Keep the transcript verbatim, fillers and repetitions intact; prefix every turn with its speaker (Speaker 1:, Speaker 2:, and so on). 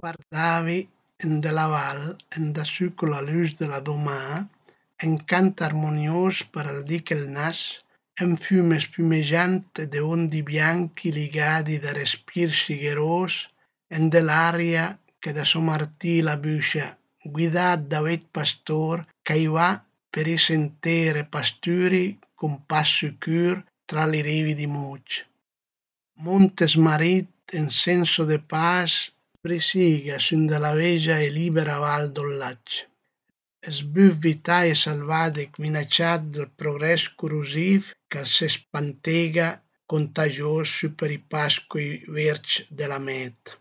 Speaker 1: Guardavi ende la val, endassù cola lus de la domâ, un cant armonios per ël dì ch'el nas, un füme spumeggiant de ondi bianchi ligadi da respir schigeros ende l'aria che da so martì la büscia, guidà da ueit pastor ch'ai va per i sentieri pasturi cun pas sicür tra li rivi di Mûg. Monte smarit en senso de pas brisiga sün da la vegia e libera val d'Ollac. Sbuffi tai salvadich minacià dal progrès corrusiv ch'a se spantega contagios sü per i pascoi vierge de la mèt.